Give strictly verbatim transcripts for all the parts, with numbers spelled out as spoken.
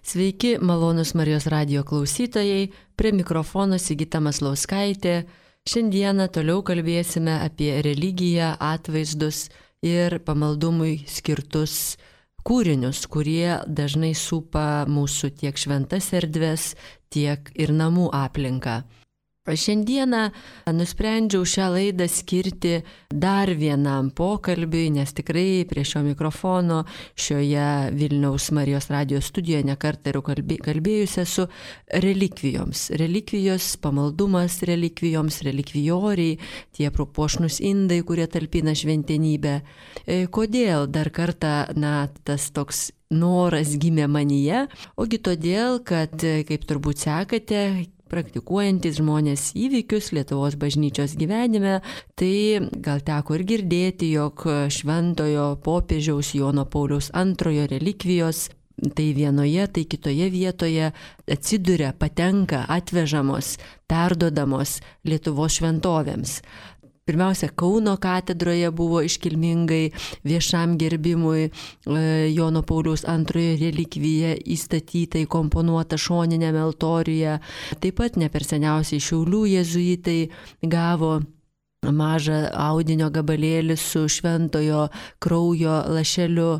Sveiki, malonus Marijos radijo klausytojai, prie mikrofono Sigita Maslauskaitė. Šiandieną toliau kalbėsime apie religiją, atvaizdus ir pamaldumui skirtus kūrinius, kurie dažnai supa mūsų tiek šventas erdves, tiek ir namų aplinką. Šiandieną nusprendžiau šią laidą skirti dar vienam pokalbiui, nes tikrai prie šio mikrofono šioje Vilniaus Marijos radijos studijoje nekartą ir kalbėjusi su relikvijoms. Relikvijos, pamaldumas relikvijoms, relikvijoriai, tie propuošnus indai, kurie talpina šventenybę. Kodėl dar kartą, na, tas toks noras gimė manyje? Ogi todėl, kad, kaip turbūt sekate, praktikuojantis žmonės įvykius Lietuvos bažnyčios gyvenime, tai gal teko ir girdėti, jog šventojo popiežiaus Jono Pauliaus antrojo relikvijos tai vienoje, tai kitoje vietoje atsiduria, patenka, atvežamos, perdodamos Lietuvos šventovėms. Pirmiausia, Kauno katedroje buvo iškilmingai viešam gerbimui Jono Pauliaus antrojo relikvija įstatyta, įkomponuota šoniniame altoriuje. Taip pat ne per seniausiai Šiaulių jėzuitai gavo mažą audinio gabalėlį su šventojo kraujo lašeliu.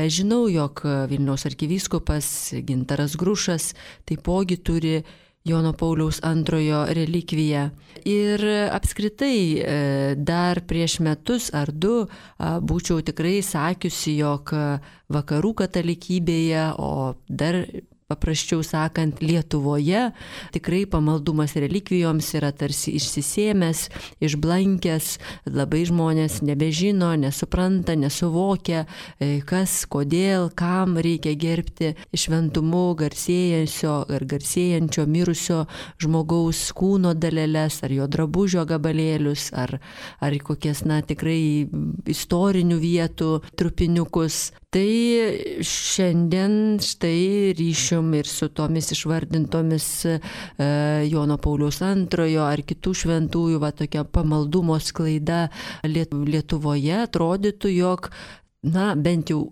Žinau, jog Vilniaus arkivyskupas Gintaras Grušas taipogi turi Jono Pauliaus antrojo relikviją. Ir apskritai dar prieš metus ar du būčiau tikrai sakiusi, jog vakarų katalikybėje, o dar paprasčiau sakant, Lietuvoje tikrai pamaldumas relikvijoms yra tarsi išsisėmęs, išblankęs, labai žmonės nebežino, nesupranta, nesuvokia, kas, kodėl, kam reikia gerbti šventumu garsėjančio ar garsėjančio mirusio žmogaus kūno daleles, ar jo drabužio gabalėlius, ar, ar kokias, na, tikrai istorinių vietų trupiniukus. Tai šiandien štai ryšium ir su tomis išvardintomis e, Jono Pauliaus antrojo ar kitų šventųjų va tokia pamaldumo sklaida Lietuvoje, atrodytų, jog, na, bent jau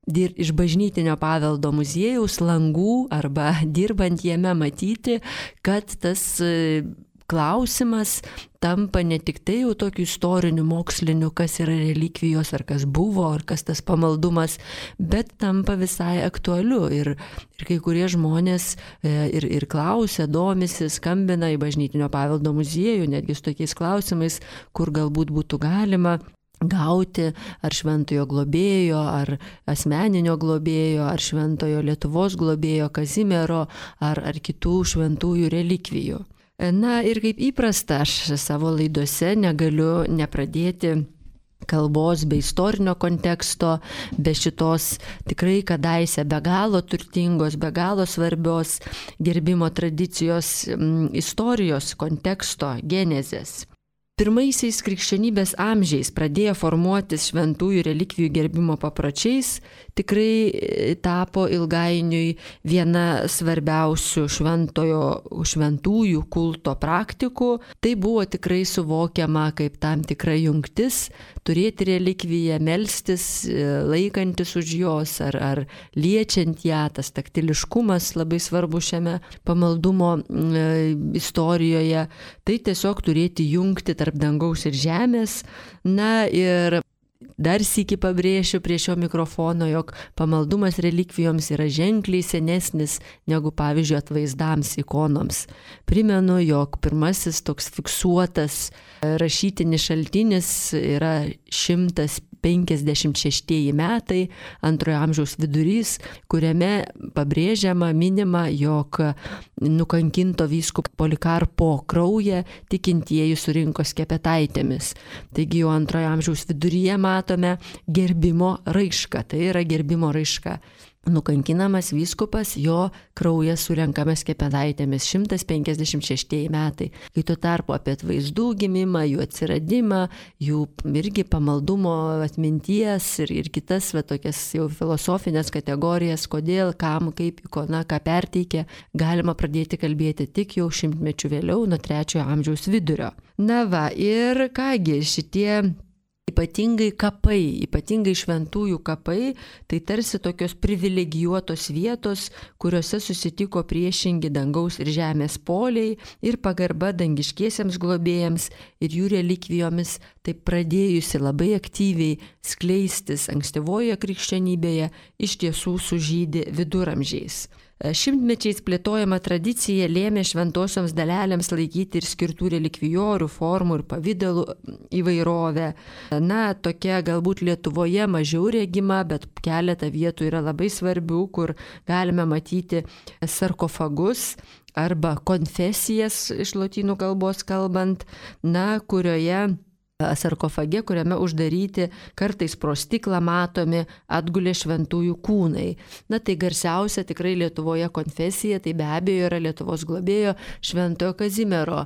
dir, iš bažnytinio paveldo muziejaus langų arba dirbant jame matyti, kad tas e, klausimas tampa ne tik tai jau tokiu istoriniu, moksliniu, kas yra relikvijos, ar kas buvo, ar kas tas pamaldumas, bet tampa visai aktualiu. Ir, ir kai kurie žmonės e, ir, ir klausia, domisi, skambina į bažnytinio paveldo muziejų, netgi su tokiais klausimais, kur galbūt būtų galima gauti ar šventojo globėjo, ar asmeninio globėjo, ar šventojo Lietuvos globėjo Kazimiero, ar, ar kitų šventųjų relikvijų. Na ir kaip įprasta, aš savo laidose negaliu nepradėti kalbos be istorinio konteksto, be šitos tikrai kadaise be galo turtingos, be galo svarbios gerbimo tradicijos m, istorijos konteksto, genezės. Pirmaisiais krikščionybės amžiais pradėję formuotis šventųjų relikvijų gerbimo papročiais, tikrai tapo ilgainiui viena svarbiausių šventojo, šventųjų kulto praktikų. Tai buvo tikrai suvokiama kaip tam tikra jungtis, turėti relikviją, melstis, laikantis už jos ar, ar liečiant ją, tas taktiliškumas labai svarbu šiame pamaldumo e, istorijoje. Tai tiesiog turėti jungti tarp dangaus ir žemės. Na ir dar sykį pabrėšiu prie šio mikrofono, jog pamaldumas relikvijoms yra ženkliai senesnis negu, pavyzdžiui, atvaizdams, ikonoms. Primenu, jog pirmasis toks fiksuotas rašytinis šaltinis yra šimtas penkiasdešimt šeštieji metai, antrojo amžiaus vidurys, kuriame pabrėžiama, minima, jog nukankinto vyskupo Polikarpo kraują tikintieji surinko skepetaitėmis. Taigi jau antrojo amžiaus viduryje matome gerbimo raišką, tai yra gerbimo raiška. Nukankinamas vyskupas, jo kraujas surenkamas skepetaitėmis, šimtas penkiasdešimt šeštieji metai. Kai tuo tarpu apie atvaizdų gimimą, jų atsiradimą, jų irgi pamaldumo atminties ir, ir kitas va, tokias jau filosofinės kategorijas, kodėl, kam, kaip ikona, ką perteikia, galima pradėti kalbėti tik jau šimtmečių vėliau, nuo trečiojo amžiaus vidurio. Na va, ir kągi šitie Ypatingai kapai, ypatingai šventųjų kapai, tai tarsi tokios privilegijuotos vietos, kuriuose susitiko priešingi dangaus ir žemės poliai ir pagarba dangiškiesiems globėjams ir jų relikvijomis, taip pradėjusi labai aktyviai skleistis ankstyvojoje krikščionybėje, iš tiesų sužydi viduramžiais. Šimtmečiais plėtojama tradicija lėmė šventosioms dalelėms laikyti ir skirtų relikvijorių, formų ir pavydalų įvairovę. Na, tokia galbūt Lietuvoje mažiau regima, bet keletą vietų yra labai svarbių, kur galime matyti sarkofagus arba konfesijas iš lotynų kalbos kalbant, na, kurioje sarkofage, kuriame uždaryti kartais pro stiklą matomi atgulė šventųjų kūnai. Na tai garsiausia tikrai Lietuvoje konfesija, tai be abejo yra Lietuvos globėjo Šventojo Kazimiero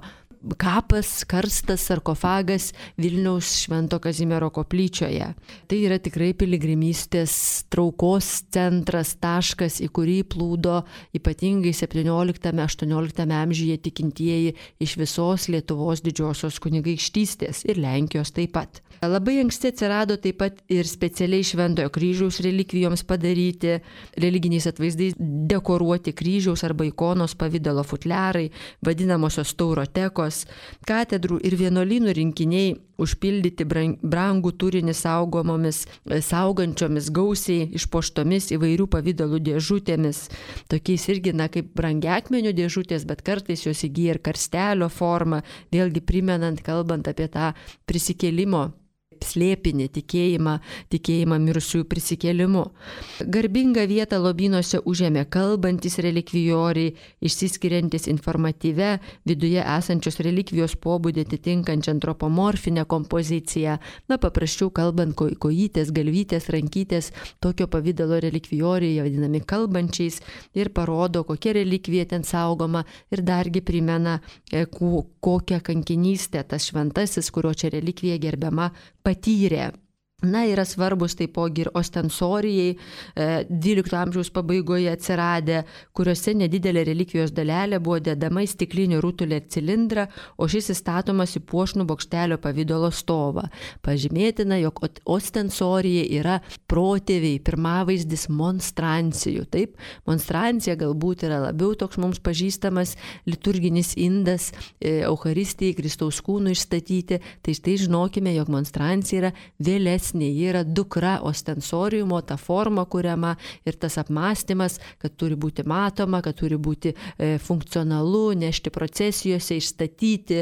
kapas, karstas, sarkofagas Vilniaus Švento Kazimiero koplyčioje. Tai yra tikrai piligrimystės traukos centras, taškas, į kurį plūdo ypatingai septynioliktame aštuonioliktame amžiuje tikintieji iš visos Lietuvos didžiosios kunigaikštystės ir Lenkijos taip pat. Labai anksti atsirado taip pat ir specialiai Šventojo kryžiaus relikvijoms padaryti, religiniais atvaizdais dekoruoti kryžiaus arba ikonos pavydalo futliarai, vadinamosios taurotekos, katedrų ir vienuolynų rinkiniai užpildyti brangų turinį saugomomis, saugančiomis gausiai išpuoštomis įvairių pavydalų dėžutėmis, tokiais irgi, na, kaip brangiakmenio dėžutės, bet kartais jos įgyja ir karstelio formą, vėlgi primenant, kalbant apie tą prisikėlimo slėpinį, tikėjimą, tikėjimą mirusiųjų prisikėlimu. Garbingą vietą lobynuose užėmė kalbantis relikvijoriai, išsiskiriantis informatyvę, viduje esančios relikvijos pobūdį atitinkančią antropomorfinę kompoziciją. Na, paprasčiau kalbant, ko, kojytės, galvytės, rankytės, tokio pavydalo relikvijoriai, vadinami kalbančiais, ir parodo, kokia relikvija ten saugoma ir dargi primena, ko, kokią kankinystę tas šventasis, kurio čia relikvija gerbiama, patyrė. Na, yra svarbus taipogi ir ostensorijai, dvylikto amžiaus pabaigoje atsiradę, kuriuose nedidelė relikvijos dalelė buvo dedama į stiklinį rutulį ar cilindrą, o šis įstatomas į puošnų bokštelio pavydalo stovą. Pažymėtina, jog ostensorija yra protėviai, pirmavaizdis monstrancijų. Taip, monstrancija galbūt yra labiau toks mums pažįstamas liturginis indas, Eucharistijai, Kristaus kūnų išstatyti, tai štai žinokime, jog monstrancija yra vėlesnė. Ji yra dukra ostensoriumo, ta forma kuriama ir tas apmąstymas, kad turi būti matoma, kad turi būti e, funkcionalu, nešti procesijose, išstatyti,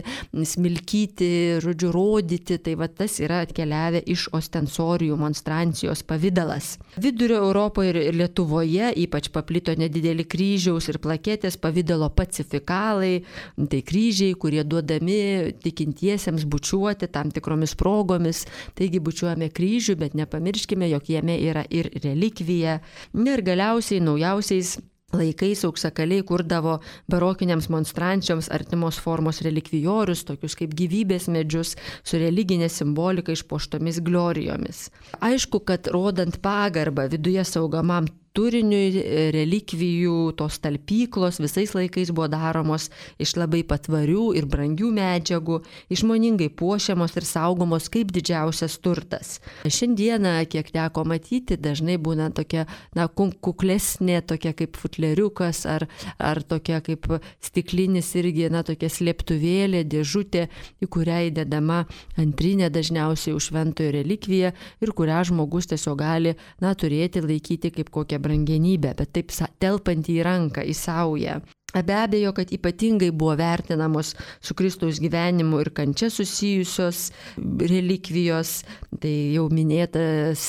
smilkyti, žodžiu, rodyti. Tai va tas yra atkeliavę iš ostensorijų monstrancijos pavidalas. Vidurio Europoje ir Lietuvoje ypač paplito nedideli kryžiaus ir plaketės pavydalo pacifikalai, tai kryžiai, kurie duodami tikintiesiems bučiuoti tam tikromis progomis, taigi bučiuojame kryžių, bet nepamirškime, jog jame yra ir relikvija. Ir galiausiai naujausiais laikais auksakaliai kurdavo barokiniams monstrančioms artimos formos relikvijorius, tokius kaip gyvybės medžius su religinė simbolika išpuoštomis glorijomis. Aišku, kad rodant pagarbą viduje saugomam turiniui, relikvijų, tos talpyklos visais laikais buvo daromos iš labai patvarių ir brangių medžiagų, išmoningai puošiamos ir saugomos kaip didžiausias turtas. Šiandieną, kiek teko matyti, dažnai būna tokia, na, kuklesnė, tokia kaip futleriukas ar, ar tokia kaip stiklinis irgi, na, tokia slėptuvėlė, dėžutė, į kurią įdedama antrinė dažniausiai už šventojo relikviją ir kurią žmogus tiesiog gali, na, turėti, laikyti kaip kokią brangenybę, bet taip telpantį į ranką, į saują. Be abejo, kad ypatingai buvo vertinamos su Kristaus gyvenimu ir kančia susijusios relikvijos, tai jau minėtas,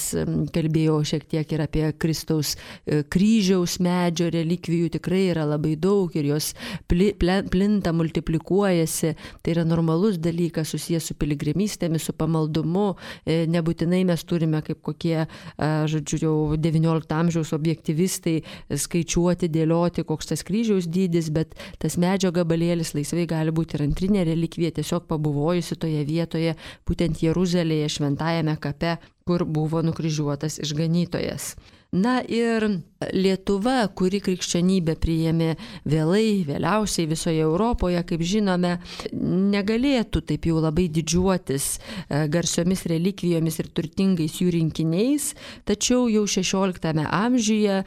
kalbėjau šiek tiek ir apie Kristaus kryžiaus medžio relikvijų, tikrai yra labai daug ir jos plinta, multiplikuojasi, tai yra normalus dalykas susijęs su piligrimystėmis, su pamaldumu, nebūtinai mes turime kaip kokie, žodžiu, jau devyniolikto amžiaus objektyvistai skaičiuoti, dėlioti, koks tas kryžiaus dydis, bet tas medžio gabalėlis laisvai gali būti ir antrinė relikvija, tiesiog pabuvojusi toje vietoje, būtent Jeruzalėje, šventajame kape, kur buvo nukryžiuotas išganytojas. Na ir Lietuva, kuri krikščionybę priėmė vėlai, vėliausiai visoje Europoje, kaip žinome, negalėtų taip jau labai didžiuotis garsiomis relikvijomis ir turtingais jų rinkiniais, tačiau jau šešioliktame amžiuje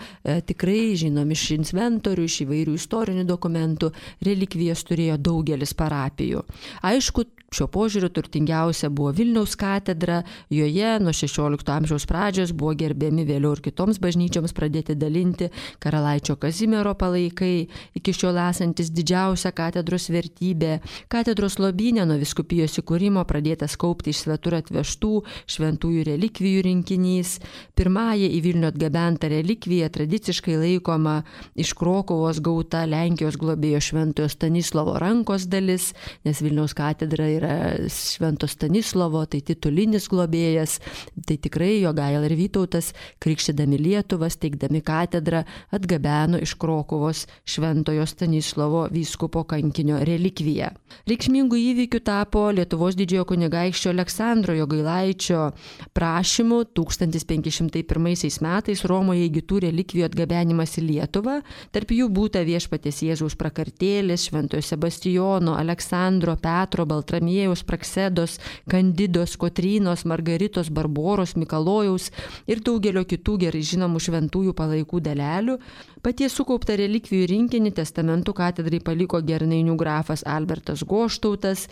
tikrai žinom iš inventorių, iš įvairių istorinių dokumentų, relikvijas turėjo daugelis parapijų. Aišku, šio požiūriu turtingiausia buvo Vilniaus katedra, joje nuo šešiolikto amžiaus pradžios buvo gerbiami vėliau ir kitoms bažnyčioms pradėti dalinti karalaičio Kazimiero palaikai, iki šiol esantis didžiausia katedros vertybė. Katedros lobyne nuo vyskupijos įkūrimo pradėtas kaupti iš svetur atvežtų šventųjų relikvijų rinkinys. Pirmąją į Vilnių atgabentą relikviją tradiciškai laikoma iš Krokuvos gauta Lenkijos globėjo šventojo Stanislovo rankos dalis, nes Vilniaus katedra yra švento Stanislovo, tai titulinis globėjas, tai tikrai Jogaila ir Vytautas, krikštydami Lietuvą, steigdami katedrą, atgabeno iš Krokuvos šventojo Stanislovo vyskupo kankinio relikviją. Reikšmingų įvykių tapo Lietuvos didžiojo kunigaikščio Aleksandro Jogailaičio prašymu tūkstantis penki šimtai pirmaisiais metais Romoje įgytų relikvijų atgabenimas į Lietuvą. Tarp jų būta viešpaties Jėzaus prakartėlės, šventojo Sebastijono, Aleksandro, Petro, Baltramiejaus, Praksedos, Kandidos, Kotrynos, Margaritos, Barboros, Mikalojaus ir daugelio kitų gerai žinomų šventųjų palaikų dalelių. Paties sukauptą relikvijų rinkinį testamentu katedrai paliko Gernainių grafas Albertas Goštautas,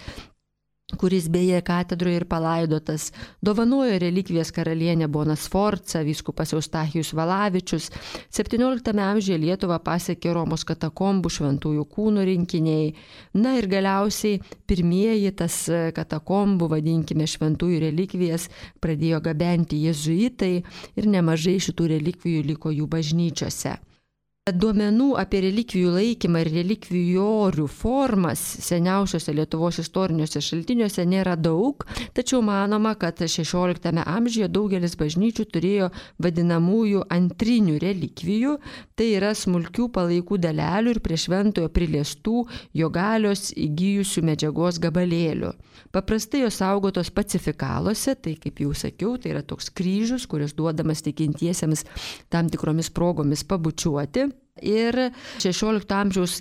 kuris beje katedroje ir palaidotas, dovanojo relikvijas karalienė Bona Sforca, vyskupas Eustachijus Valavičius. septynioliktame amžiuje Lietuvą pasiekė Romos katakombų šventųjų kūnų rinkiniai. Na ir galiausiai pirmieji tas katakombų, vadinkime, šventųjų relikvijas pradėjo gabenti jėzuitai ir nemažai šitų relikvijų liko jų bažnyčiose. Duomenų apie relikvijų laikymą ir relikvijorių formas seniausiuose Lietuvos istoriniuose šaltiniuose nėra daug, tačiau manoma, kad šešioliktame amžiuje daugelis bažnyčių turėjo vadinamųjų antrinių relikvijų, tai yra smulkių palaikų dalelių ir prie šventojo priliestų jo galios įgijusių medžiagos gabalėlių. Paprastai jos saugotos pacifikaluose, tai kaip jau sakiau, tai yra toks kryžius, kuris duodamas tikintiesiems tam tikromis progomis pabučiuoti. Ir šešiolikto amžiaus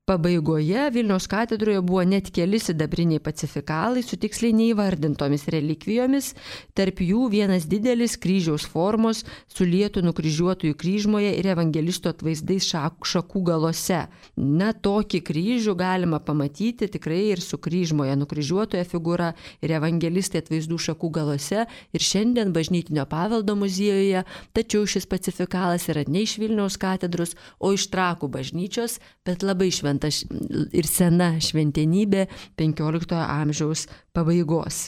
pabaigoje Vilniaus katedroje buvo net keli sidabriniai pacifikalai su tiksliai neįvardintomis relikvijomis, tarp jų vienas didelis kryžiaus formos su lietų nukryžiuotųjų kryžmoje ir evangelisto atvaizdais šakų galose. Na, tokį kryžių galima pamatyti tikrai ir su kryžmoje nukryžiuotoje figūra ir evangelistai atvaizdų šakų galose ir šiandien bažnytinio paveldo muziejuje, tačiau šis pacifikalas yra ne iš Vilniaus katedros, o iš Trakų bažnyčios, bet labai šventas ir sena šventenybė penkioliktojo amžiaus pabaigos.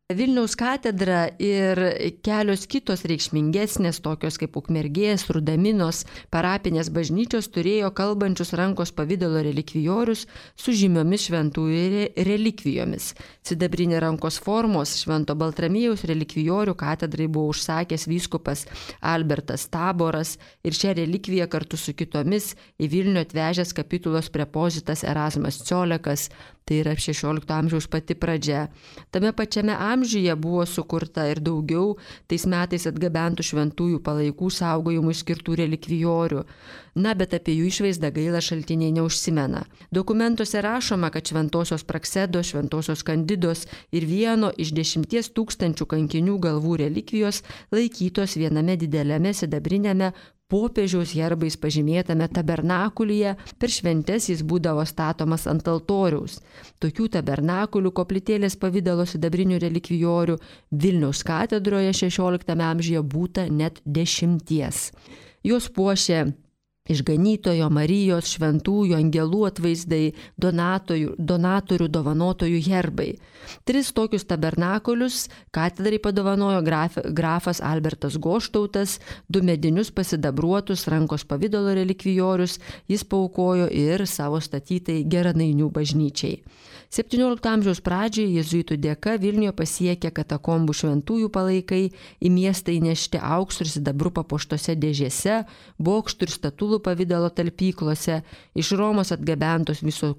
Vilniaus katedra ir kelios kitos reikšmingesnės, tokios kaip Ukmergės, Rudaminos, parapinės bažnyčios turėjo kalbančius rankos pavidalo relikvijorius su žymiomis šventųjų relikvijomis. Sidabrinė rankos formos švento Baltramiejaus relikvijorių katedrai buvo užsakęs vyskupas Albertas Taboras ir šią relikviją kartu su kitomis į Vilnių atvežęs kapitulos prepozitas Erasmas Ciolekas, tai yra šešiolikto amžiaus pati pradžia. Tame pačiame amžiuje buvo sukurta ir daugiau tais metais atgabentų šventųjų palaikų saugojimui skirtų relikvijorių. Na, bet apie jų išvaizdą gaila šaltiniai neužsimena. Dokumentuose rašoma, kad šventosios Praksedos, šventosios Kandidos ir vieno iš dešimties tūkstančių kankinių galvų relikvijos laikytos viename dideliame sidabrinėme popiežiaus herbais pažymėtame tabernakulyje, per šventes jis būdavo statomas ant altoriaus. Tokių tabernakulių koplytėlės pavidalo sidabrinių relikvijorių Vilniaus katedroje šešioliktame amžiuje būta net dešimties. Jos puošė išganytojo, Marijos, šventųjų, angelų atvaizdai, donatorių, donatorių, dovanotojų herbai. Tris tokius tabernakulius katedrai padovanojo graf, grafas Albertas Goštautas, du medinius pasidabruotus rankos pavidalo relikvijorius jis paaukojo ir savo statytai Geranainių bažnyčiai. septyniolikto amžiaus pradžioje jėzuitų dėka Vilniuje pasiekė katakombų šventųjų palaikai, į miestą įnešti auksų ir sidabru papuoštose dėžėse, bokštų ir statulų pavidalo talpyklose, iš Romos atgabentos viso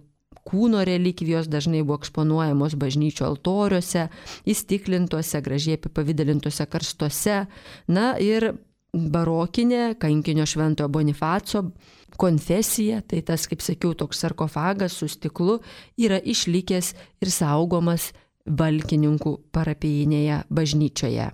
kūno relikvijos dažnai buvo eksponuojamos bažnyčių altoriuose, įstiklintuose, gražiai apipavidalintose karstuose. Na ir barokinė kankinio šventojo Bonifaco konfesija, tai tas, kaip sakiau, toks sarkofagas su stiklu yra išlikęs ir saugomas Valkininkų parapijinėje bažnyčioje.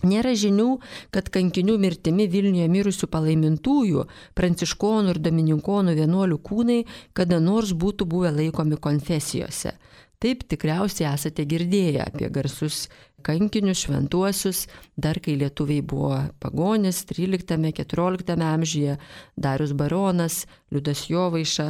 Nėra žinių, kad kankinių mirtimi Vilniuje mirusių palaimintųjų, pranciškonų ir domininkonų vienuolių kūnai kada nors būtų buvę laikomi konfesijose. Taip tikriausiai esate girdėję apie garsus kankinius šventuosius, dar kai lietuviai buvo pagonis tryliktame keturioliktame amžiuje, Darius Baronas, Liudas Jovaiša,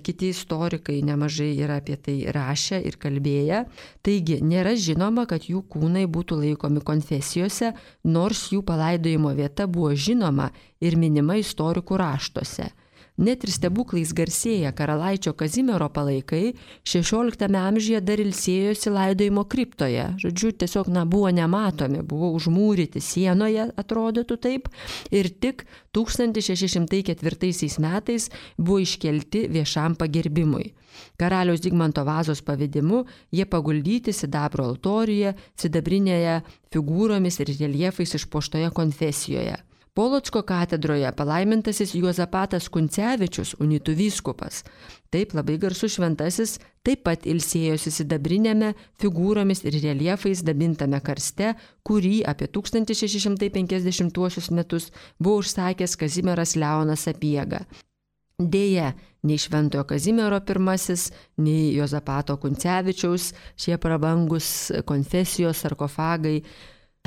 kiti istorikai nemažai yra apie tai rašę ir kalbėję. Taigi nėra žinoma, kad jų kūnai būtų laikomi konfesijose, nors jų palaidojimo vieta buvo žinoma ir minima istorikų raštuose. Net ir stebuklais garsėję karalaičio Kazimiero palaikai šešioliktame amžiuje dar ilsėjosi laidojimo kriptoje. Žodžiu, tiesiog na, buvo nematomi, buvo užmūryti sienoje, atrodytų taip, ir tik tūkstantis šeši šimtai ketvirtaisiais metais buvo iškelti viešam pagerbimui. Karaliaus Zigmanto Vazos pavedimu jie paguldyti sidabro altoriuje, sidabrinėje figūromis ir reljefais išpuoštoje konfesijoje. Polocko katedroje palaimintasis Juozapatas Kuncevičius, unitų vyskupas, taip labai garsus šventasis, taip pat ilsėjosi sidabrinėme figūromis ir reljefais dabintame karste, kurį apie tūkstantis šeši šimtai penkiasdešimtuosius metus buvo užsakęs Kazimieras Leonas Sapiega. Deja, nei Šventojo Kazimiero pirmasis, nei Juozapato Kuncevičiaus šie prabangus konfesijos sarkofagai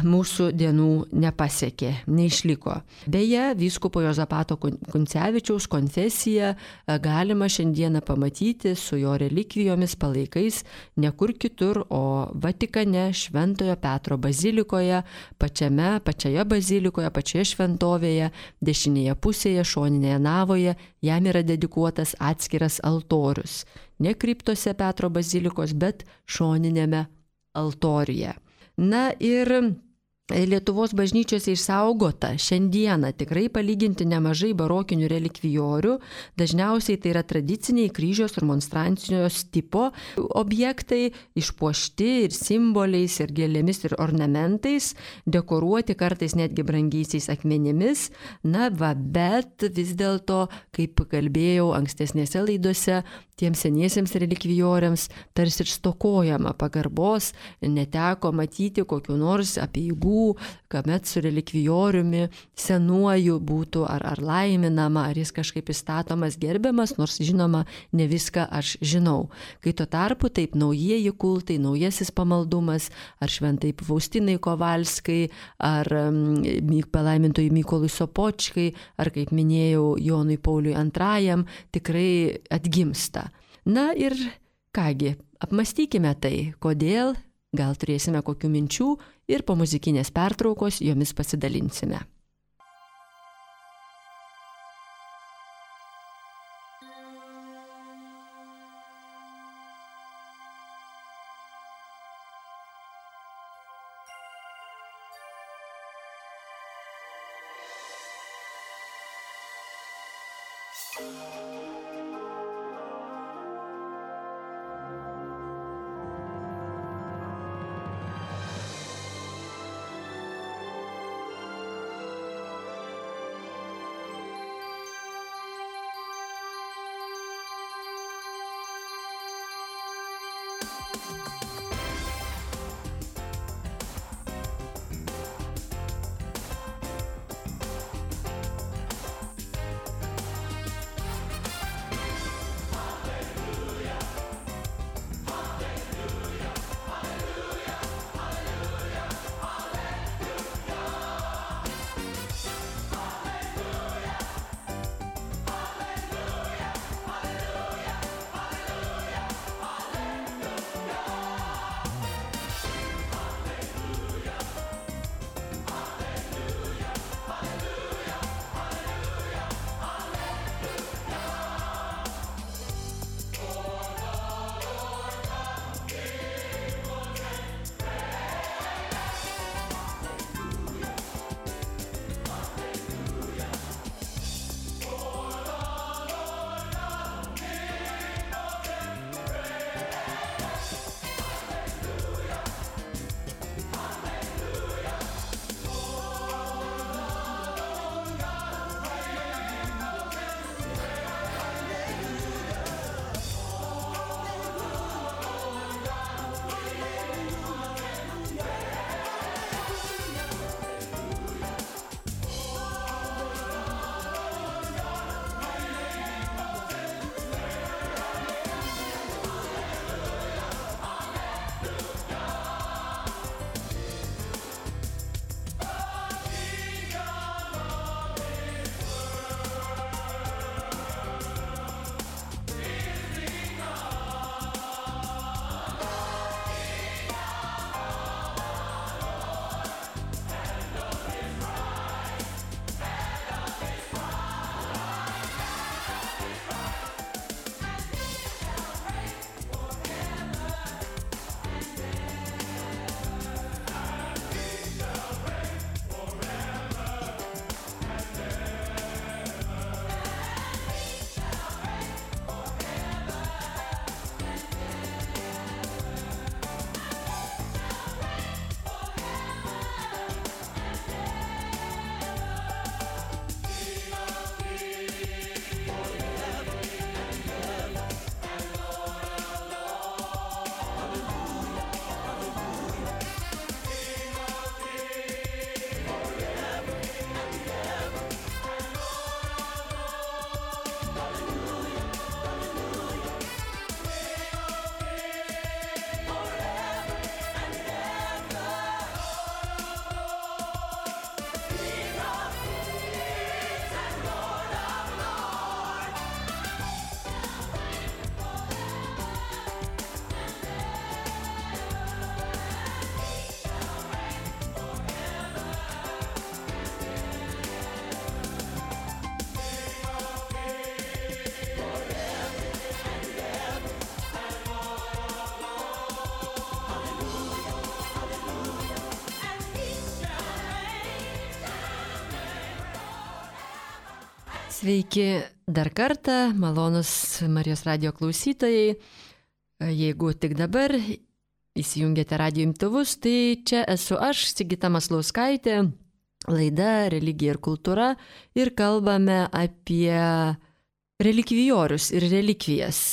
mūsų dienų nepasiekė, neišliko. Beje, vyskupo Juozapato Kuncevičiaus konfesiją galima šiandieną pamatyti su jo relikvijomis palaikais ne kur kitur, o Vatikane, Šventojo Petro bazilikoje, pačiame, pačioje bazilikoje, pačioje šventovėje, dešinėje pusėje, šoninėje navoje, jam yra dedikuotas atskiras altorius. Ne kriptose Petro bazilikos, bet šoninėme altoriuje. Na ir Lietuvos bažnyčiose išsaugota šiandieną tikrai palyginti nemažai barokinių relikvijorių, dažniausiai tai yra tradiciniai kryžiaus ir monstrancijos tipo objektai, išpuošti ir simboliais, ir gėlėmis, ir ornamentais, dekoruoti kartais netgi brangiaisiais akmenimis, na va, bet vis dėlto, kaip kalbėjau ankstesnėse laidose, tiems seniesiems relikvijoriams tarsi ir stokojama pagarbos, neteko matyti kokiu nors apeigų, kuomet su relikvijoriumi senuoju būtų ar, ar laiminama, ar jis kažkaip įstatomas, gerbiamas, nors žinoma, ne viską aš žinau. Kai tuo tarpu taip naujieji kultai, naujasis pamaldumas, ar šventai Faustinai Kovalskai, ar um, palaimintojui Mykolui Sopočkai, ar kaip minėjau Jonui Pauliui antrajam, tikrai atgimsta. Na ir kągi, apmąstykime tai, kodėl, gal turėsime kokių minčių ir po muzikinės pertraukos jomis pasidalinsime. Sveiki dar kartą, malonus Marijos radijo klausytojai. Jeigu tik dabar įsijungėte radijo imtuvus, tai čia esu aš, Sigita Maslauskaitė, laida Religija ir kultūra, ir kalbame apie relikvijorius ir relikvijas.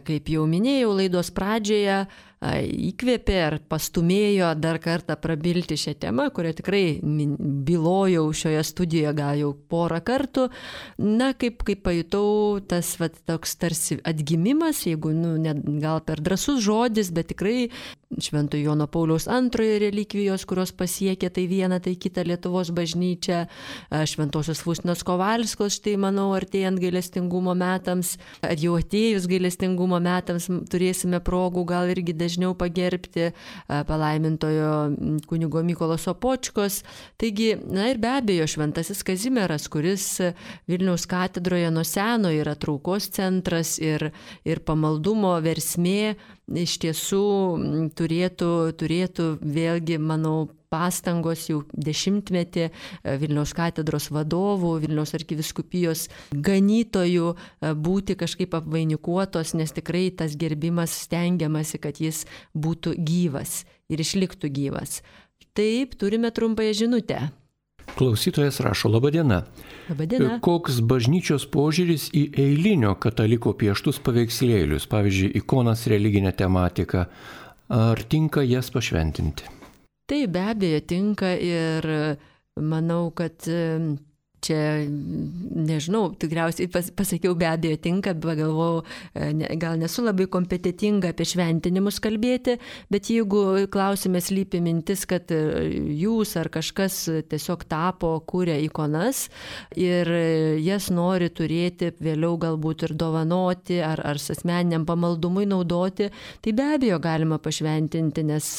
Kaip jau minėjau laidos pradžioje, įkvėpė ar pastumėjo dar kartą prabilti šią temą, kurią tikrai bylojau šioje studijoje gal jau porą kartų. Na, kaip, kaip pajutau, tas vat, toks tarsi atgimimas, jeigu nu, net, gal per drąsus žodis, bet tikrai Šventojo Jono Pauliaus antrojo relikvijos, kurios pasiekė tai vieną, tai kitą Lietuvos bažnyčią, Šventosios Faustinos Kovalskos, štai manau, artėjant gailestingumo metams, ar jau atėjus gailestingumo metams turėsime progų gal irgi dažniau pagerbti palaimintojo kunigo Mykolo Sopočkos. Taigi, na ir be abejo, Šventasis Kazimieras, kuris Vilniaus katedroje nuo seno yra traukos centras ir, ir pamaldumo versmė, iš tiesų turėtų, turėtų vėlgi, manau, pastangos jau dešimtmetį Vilniaus katedros vadovų, Vilniaus arkivyskupijos ganytojų būti kažkaip apvainikuotos, nes tikrai tas gerbimas stengiamasi, kad jis būtų gyvas ir išliktų gyvas. Taip, turime trumpąją žinutę. Klausytojas rašo: Labą dieną. Labą dieną. Koks bažnyčios požiūris į eilinio kataliko pieštus paveikslėlius, pavyzdžiui, ikonas, religinę tematiką, ar tinka jas pašventinti? Tai be abejo tinka ir manau, kad čia, nežinau, tikriausiai pas, pasakiau be abejo tinka, bet galvojau, ne, gal nesu labai kompetitinga apie šventinimus kalbėti, bet jeigu klausime slypi mintis, kad jūs ar kažkas tiesiog tapo, kūrė ikonas ir jas nori turėti vėliau galbūt ir dovanoti ar, ar asmeniniam pamaldumui naudoti, tai be abejo galima pašventinti, nes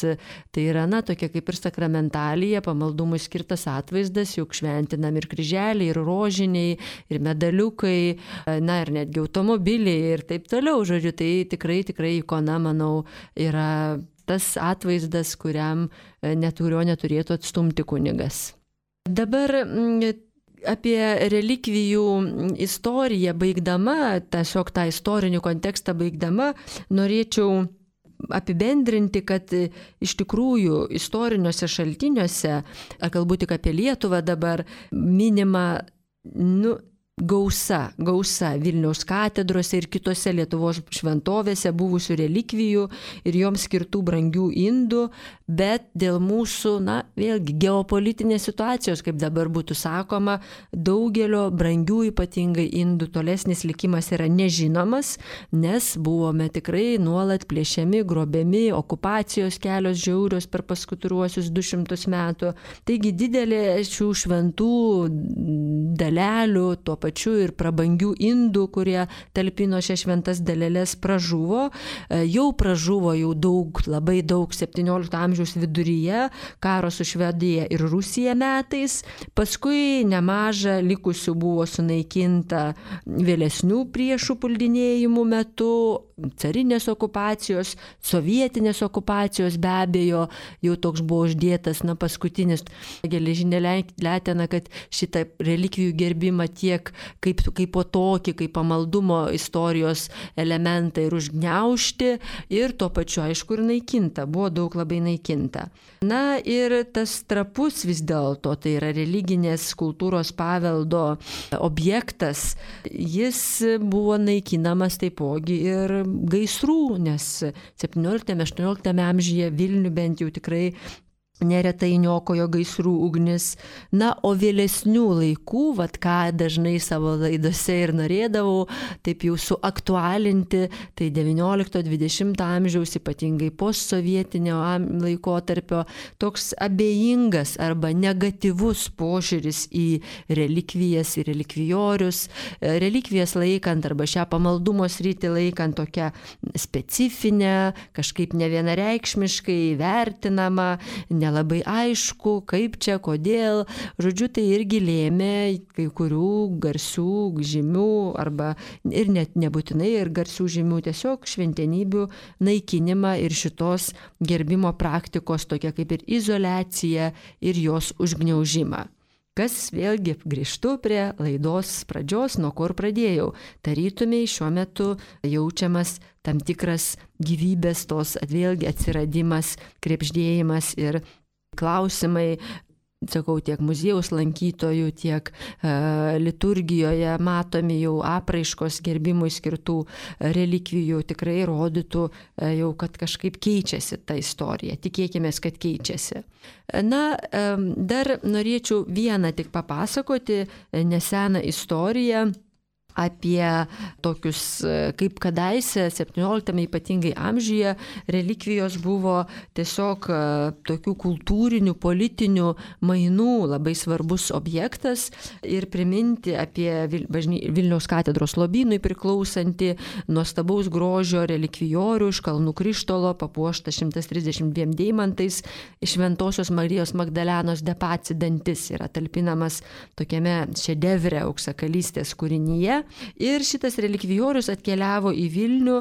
tai yra, na, tokia kaip ir sakramentalija, pamaldumui skirtas atvaizdas, juk šventinam ir kryželį, ir rožiniai, ir medaliukai, na ir netgi automobiliai ir taip toliau. Žodžiu, tai tikrai, tikrai ikona, manau, yra tas atvaizdas, kuriam neturio neturėtų atstumti kunigas. Dabar apie relikvijų istoriją baigdama, tiesiog tą istorinį kontekstą baigdama, norėčiau apibendrinti, kad iš tikrųjų istoriniuose šaltiniuose, ar galbūt tik apie Lietuvą dabar, minima, nu, gausa, gausa Vilniaus katedrose ir kitose Lietuvos šventovėse buvusių relikvijų ir joms skirtų brangių indų, bet dėl mūsų, na, vėlgi, geopolitinės situacijos, kaip dabar būtų sakoma, daugelio brangių ypatingai indų tolesnis likimas yra nežinomas, nes buvome tikrai nuolat plėšiami, grobiami, okupacijos kelios žiaurios per paskutiniuosius du šimtus metų. Taigi didelė šių šventų dalelių, tuo pačiu ir prabangių indų, kurie talpino šias šventas daleles, pražuvo. Jau pražuvo jau daug, labai daug septyniolikto amžiaus viduryje, karo su Švedija ir Rusija metais. Paskui nemaža likusių buvo sunaikinta vėlesnių priešų puldinėjimų metu, carinės okupacijos, sovietinės okupacijos, be abejo, jau toks buvo uždėtas, na, paskutinis geležinė letena, kad šitą relikvijų gerbimą tiek kaip, kaip po tokį, kaip pamaldumo istorijos elementą ir užgniaužti, ir tuo pačiu, aišku, ir naikinta, buvo daug labai naikinta. Na ir tas trapus vis dėlto, tai yra religinės kultūros paveldo objektas, jis buvo naikinamas taipogi ir gaisrų, nes septynioliktame aštuonioliktame amžiuje Vilnių bent jau tikrai neretai niokojo gaisrų ugnis. Na, o vėlesnių laikų, vat ką dažnai savo laidose ir norėdavau taip jau suaktualinti, tai devyniolikto dvidešimto amžiaus, ypatingai postsovietinio laikotarpio, toks abejingas arba negatyvus požiūris į relikvijas, į relikvijorius, relikvijas laikant arba šią pamaldumo sritį laikant tokią specifinę, kažkaip nevienareikšmiškai vertinamą, nelabai aišku, kaip čia, kodėl. Žodžiu, tai irgi lėmė kai kurių garsių žymių arba ir net nebūtinai ir garsių žymių, tiesiog šventenybių naikinimą ir šitos gerbimo praktikos tokia kaip ir izoliacija ir jos užgniaužimą. Kas vėlgi grįžtu prie laidos pradžios, nuo kur pradėjau. Tarytumiai šiuo metu jaučiamas tam tikras gyvybės tos vėlgi atsiradimas, krepždėjimas ir klausimai, sakau, tiek muziejaus lankytojų, tiek e, liturgijoje matomi jau apraiškos gerbimui skirtų relikvijų tikrai rodytų e, jau, kad kažkaip keičiasi ta istorija. Tikėkime, kad keičiasi. Na, e, dar norėčiau vieną tik papasakoti neseną istoriją apie tokius, kaip kadaise septynioliktame ypatingai amžiuje relikvijos buvo tiesiog tokių kultūrinių, politinių mainų labai svarbus objektas ir priminti apie Vilniaus katedros lobynui priklausantį nuostabaus grožio relikvijorių iš Kalnų Krištolo, papuoštą šimtas trisdešimt dviem deimantais, Šventosios Marijos Magdalenos de Paci dantis yra talpinamas tokiame šedevre auksakalystės kūrinyje. Ir šitas relikvijorius atkeliavo į Vilnių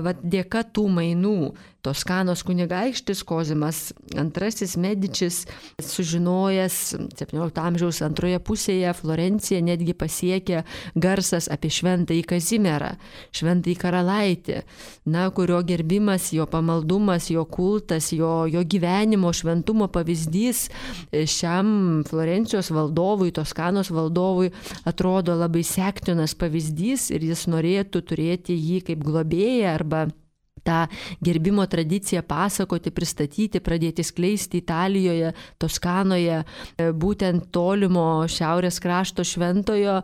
va, dėka tų mainų. Toskanos kunigaikštis Kozimas antrasis Medičis, sužinojęs septyniolikto amžiaus antroje pusėje Florenciją, netgi pasiekė garsas apie šventąjį Kazimierą, šventąjį karalaitį, na, kurio gerbimas, jo pamaldumas, jo kultas, jo, jo gyvenimo šventumo pavyzdys šiam Florencijos valdovui, Toskanos valdovui atrodo labai sektinas pavyzdys ir jis norėtų turėti jį kaip globėją arba tą gerbimo tradiciją pasakoti, pristatyti, pradėti skleisti Italijoje, Toskanoje, būtent tolimo šiaurės krašto šventojo,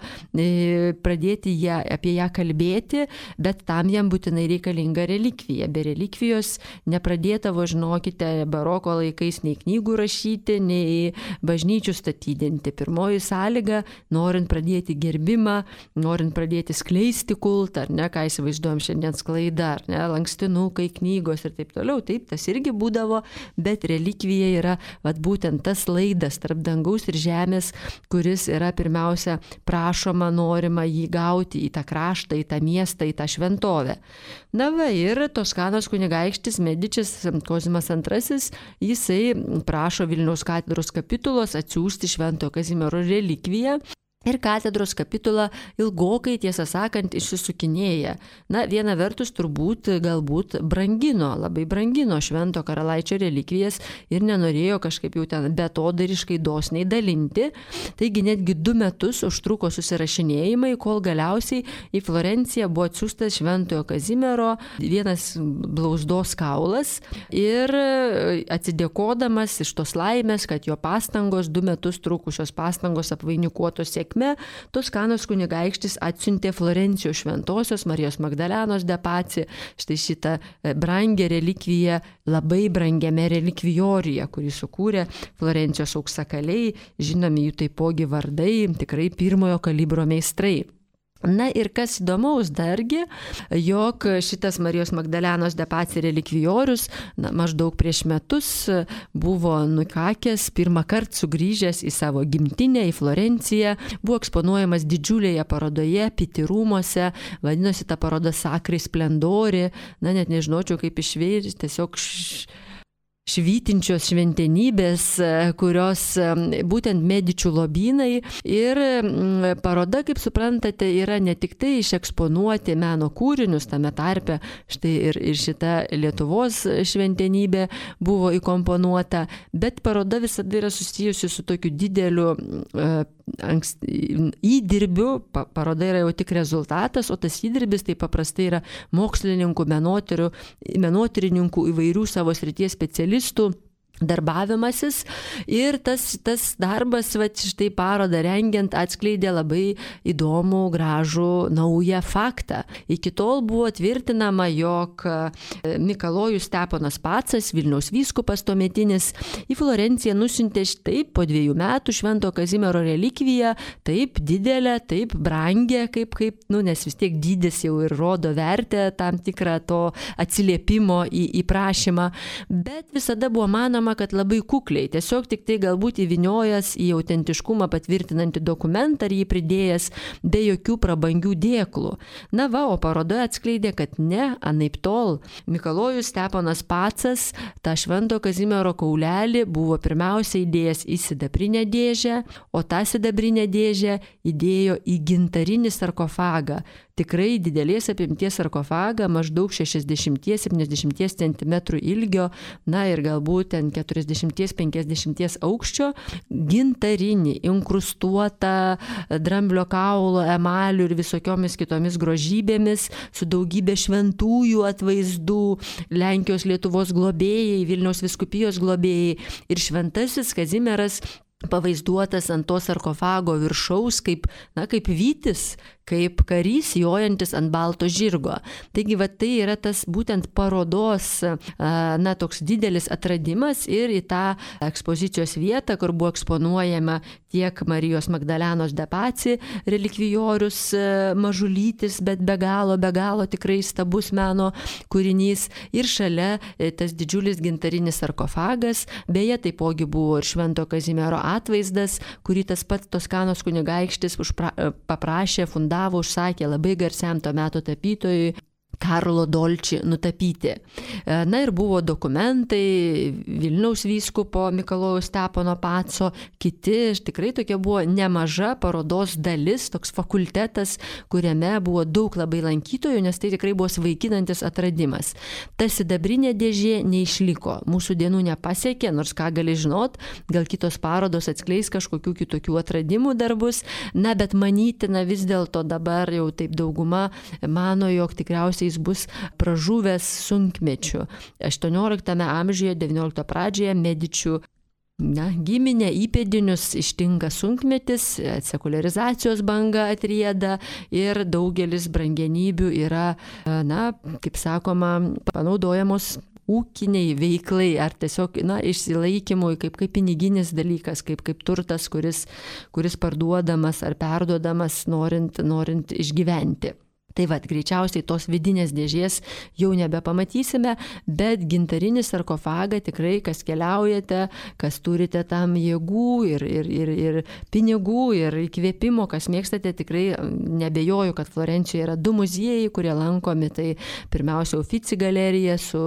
pradėti ją, apie ją kalbėti, bet tam jam būtinai reikalinga relikvija. Be relikvijos nepradėtavo, žinokite, baroko laikais nei knygų rašyti, nei bažnyčių statydinti. Pirmoji sąlyga, norint pradėti gerbimą, norint pradėti skleisti kultą, ar ne, ką įsivaizduojam šiandien sklaida, ar ne, lanksti nukai, knygos ir taip toliau, taip, tas irgi būdavo, bet relikvija yra vat, būtent tas laidas tarp dangaus ir žemės, kuris yra pirmiausia prašoma, norima jį gauti į tą kraštą, į tą miestą, į tą šventovę. Na va, ir Toskanos kunigaikštis Medičis Kozimas antrasis, jisai prašo Vilniaus katedros kapitulos atsiųsti Šventojo Kazimiero relikviją. Ir katedros kapitula ilgokai, tiesą sakant, išsisukinėja. Na, viena vertus turbūt galbūt brangino, labai brangino Švento karalaičio relikvijas ir nenorėjo kažkaip jau ten betodariškai dosniai dalinti. Taigi netgi du metus užtruko susirašinėjimai, kol galiausiai į Florenciją buvo atsiųstas Šventojo Kazimiero vienas blauzdos kaulas ir atsidėkodamas iš tos laimės, kad jo pastangos, du metus trukusios pastangos apvainikuotos sėkmės, Toskanos kunigaikštis atsiuntė Florencijos Šventosios Marijos Magdalenos de Paci štai šitą brangę relikviją labai brangiame relikvijoriuje, kurį sukūrė Florencijos auksakaliai, žinomi jų taipogi vardai, tikrai pirmojo kalibro meistrai. Na ir kas įdomaus dargi, jog šitas Marijos Magdalenos de Paci relikvijorius na, maždaug prieš metus buvo nukakęs, pirmą kartą sugrįžęs į savo gimtinę, į Florenciją, buvo eksponuojamas didžiulėje parodoje, Piti rūmuose, vadinosi ta paroda Sacri Splendori, na net nežinočiau kaip išversti, tiesiog š... švytinčios šventenybės, kurios būtent Medičių lobynai ir paroda, kaip suprantate, yra ne tik tai išeksponuoti meno kūrinius, tame tarpe štai ir, ir šita Lietuvos šventenybė buvo įkomponuota, bet paroda visada yra susijusi su tokiu dideliu ankst, įdirbiu, pa, paroda yra jau tik rezultatas, o tas įdirbis tai paprastai yra mokslininkų, menotyrininkų, įvairių savo srities specialistų darbavimasis ir tas, tas darbas, va, štai parodą rengiant, atskleidė labai įdomų, gražų, naują faktą. Iki tol buvo tvirtinama, jog Mikalojus Steponas Pacas, Vilniaus vyskupas tuometinis, į Florenciją nusiuntė štai po dviejų metų Švento Kazimiero relikviją, taip didelę, taip brangę, kaip, kaip, nu, nes vis tiek dydis jau ir rodo vertę tam tikrą to atsiliepimo į, į prašymą, bet visada buvo manoma, žinoma, kad labai kukliai, tiesiog tik tai galbūt įviniojęs į autentiškumą patvirtinantį dokumentą ar jį pridėjęs be jokių prabangių dėklų. Na va, o parodoje atskleidė, kad ne, anaip tol. Mikalojus Steponas Pacas tą Švento Kazimiero kaulelį buvo pirmiausia įdėjęs į sidabrinę dėžę, o tą sidabrinę dėžę įdėjo į gintarinį sarkofagą. Tikrai didelės apimties sarkofagą, maždaug šešiasdešimt septyniasdešimt centimetrų ilgio, na ir galbūt ten keturiasdešimt penkiasdešimt aukščio, gintarinį, inkrustuotą dramblio kaulo, emalių ir visokiomis kitomis grožybėmis, su daugybė šventųjų atvaizdų, Lenkijos Lietuvos globėjai, Vilniaus vyskupijos globėjai ir šventasis Kazimieras pavaizduotas ant to sarkofago viršaus kaip, na, kaip vytis, kaip karys jojantis ant balto žirgo. Taigi, va, tai yra tas būtent parodos, na, toks didelis atradimas ir į tą ekspozicijos vietą, kur buvo eksponuojama tiek Marijos Magdalenos Depaci relikvijorius mažulytis, bet be galo, be galo tikrai stabus meno kūrinys ir šalia tas didžiulis gintarinis sarkofagas, beje, taipogi buvo ir Švento Kazimiero atvaizdas, kurį tas pats Toskanos kunigaikštis užpra, paprašė, fundavo, užsakė labai garsiam to meto tapytojui Karlo Dolči nutapyti. Na ir buvo dokumentai Vilniaus vyskupo Mikalojaus Stepono Paco, kiti, tikrai tokia buvo nemaža parodos dalis, toks fakultetas, kuriame buvo daug labai lankytojų, nes tai tikrai buvo svaiginantis atradimas. Ta sidabrinė dėžė neišliko, mūsų dienų nepasiekė, nors ką gali žinot, gal kitos parodos atskleis kažkokių kitokių atradimų darbus, na bet manytina vis dėlto dabar jau taip dauguma mano, jog tikriausiai jis bus pražuvęs sunkmečiu. aštuonioliktame amžiuje, devyniolikto pradžioje Medičių na, giminė įpėdinius ištinka sunkmetis, sekuliarizacijos banga atrieda ir daugelis brangenybių yra, na, kaip sakoma, panaudojamos ūkiniai veiklai ar tiesiog, na, išsilaikymui kaip, kaip piniginis dalykas, kaip, kaip turtas, kuris, kuris parduodamas ar perduodamas norint, norint išgyventi. Tai va, greičiausiai tos vidinės dėžės jau nebepamatysime, bet gintarinį sarkofagą tikrai, kas keliaujate, kas turite tam jėgų ir, ir, ir, ir pinigų ir įkvėpimo, kas mėgstate, tikrai nebejoju, kad Florencijoje yra du muziejai, kurie lankomi. Tai pirmiausia Uffizi galerija su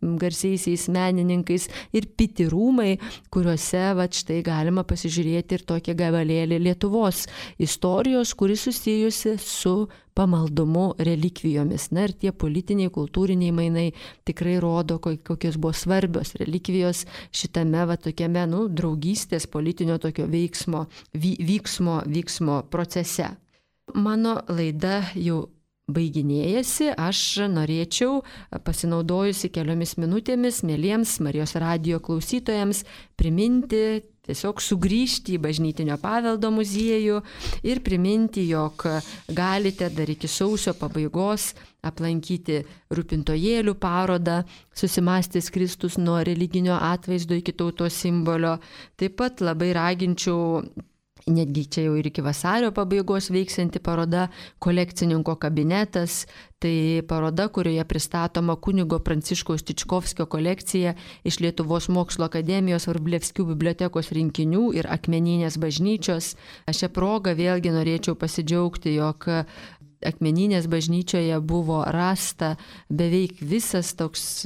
garsiaisiais menininkais ir Pitti rūmai, kuriuose va, štai galima pasižiūrėti ir tokią gabalėlį Lietuvos istorijos, kuri susijusi su pamaldumu relikvijomis. Na ir tie politiniai, kultūriniai mainai tikrai rodo, kokios buvo svarbios relikvijos šitame va tokiame, nu, draugystės politinio tokio veiksmo, vy, vyksmo, vyksmo procese. Mano laida jau baiginėjasi, aš norėčiau, pasinaudojusi keliomis minutėmis, mieliems Marijos radijo klausytojams, priminti, tiesiog sugrįžti į Bažnytinio paveldo muziejų ir priminti, jog galite dar iki sausio pabaigos aplankyti Rūpintojėlių parodą Susimąstęs Kristus nuo religinio atvaizdo iki tautos simbolio. Taip pat labai raginčiau, netgi čia jau ir iki vasario pabaigos veiksianti paroda Kolekcininko kabinetas. Tai paroda, kurioje pristatoma kunigo Pranciškaus Tičkovskio kolekcija iš Lietuvos mokslo akademijos Vrublevskių bibliotekos rinkinių ir Akmeninės bažnyčios. Aš šią progą vėlgi norėčiau pasidžiaugti, jog Akmeninės bažnyčioje buvo rasta beveik visas toks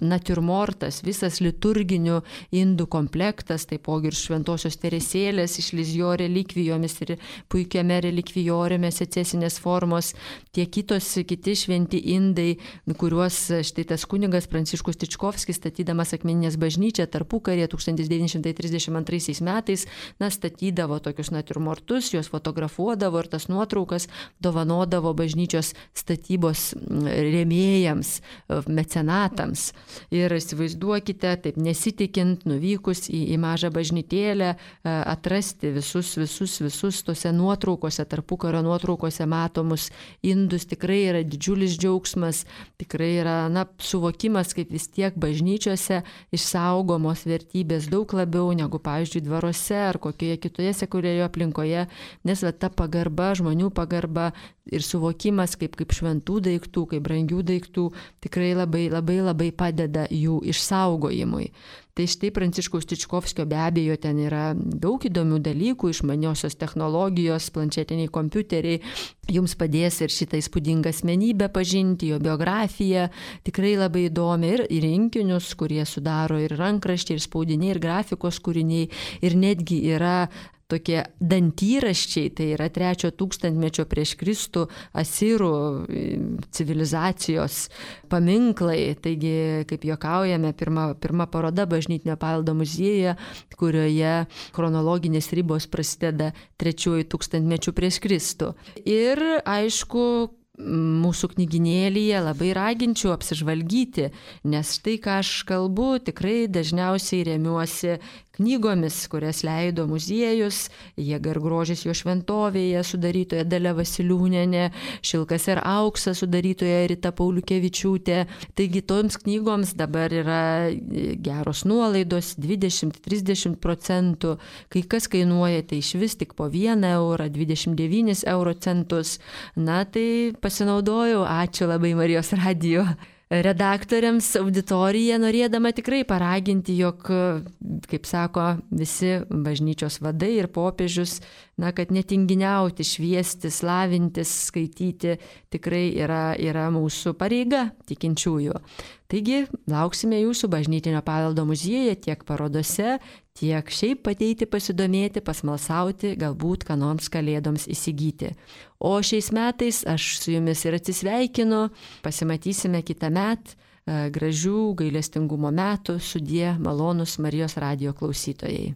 natiurmortas, visas liturginių indų komplektas, taipogi ir šventosios Teresėlės iš Lizjo relikvijomis ir puikiame relikvijoriume secesinės formos, tiek kitos, kiti šventi indai, kuriuos štai tas kunigas Pranciškus Tičkovskis, statydamas Akmeninės bažnyčią tarpukaryje tūkstantis devyni šimtai trisdešimt antraisiais metais, na, statydavo tokius natiurmortus, juos fotografuodavo ir tas nuotraukas dovanodavo bažnyčios statybos rėmėjams, mecenatams. Ir įsivaizduokite, taip nesitikint, nuvykus į, į mažą bažnytėlę, atrasti visus, visus, visus tose nuotraukose, tarpukario nuotraukose matomus indus, tikrai yra didžiulis džiaugsmas, tikrai yra, na, suvokimas, kaip vis tiek bažnyčiose išsaugomos vertybės daug labiau negu, pavyzdžiui, dvaruose ar kokioje kitoje sekuliarioje aplinkoje, nes va, ta pagarba, žmonių pagarba ir suvokimas kaip, kaip šventų daiktų, kaip brangių daiktų tikrai labai, labai, labai padeda jų išsaugojimui. Tai štai Pranciškaus Tičkovskio be abejo ten yra daug įdomių dalykų, išmaniosios technologijos, planšetiniai kompiuteriai, jums padės ir šitą įspūdingą asmenybę pažinti, jo biografiją, tikrai labai įdomi ir, ir rinkinius, kurie sudaro ir rankraščiai, ir spaudiniai, ir grafikos kūriniai, ir netgi yra tokie dantyraščiai, tai yra trečio tūkstantmečio prieš Kristų asirų civilizacijos paminklai. Taigi, kaip juokaujame, pirma, pirma paroda bažnytinio paveldo muziejuje, kurioje chronologinės ribos prasideda trečiuoju tūkstantmečiu prieš Kristų. Ir aišku, mūsų knyginėlyje labai raginčiau apsižvalgyti, nes tai, ką aš kalbu, tikrai dažniausiai remiuosi knygomis, kurias leido muziejus, Jėga ir grožis jo šventovėje, sudarytoja Dalia Vasiliūnienė, Šilkas ir auksas, sudarytoja Rita Pauliukevičiūtė. Taigi toms knygoms dabar yra geros nuolaidos, dvidešimt trisdešimt procentų, kai kas kainuoja tai iš vis tik po vieną eurą, dvidešimt devynis euro centus. Na tai pasinaudojau, ačiū labai Marijos radijo redaktoriams, auditoriją, norėdama tikrai paraginti, jog, kaip sako visi bažnyčios vadai ir popiežius, na, kad netinginiauti, šviesti, slavintis, skaityti tikrai yra, yra mūsų pareiga tikinčiųjų. Taigi, lauksime jūsų bažnytinio paveldo muziejuje tiek parodose, tiek šiaip ateiti pasidomėti, pasmalsauti, galbūt ką nors kalėdoms įsigyti. O šiais metais aš su jumis ir atsisveikinu, pasimatysime kitą metą, gražių gailestingumo metų, sudie malonūs Marijos radijo klausytojai.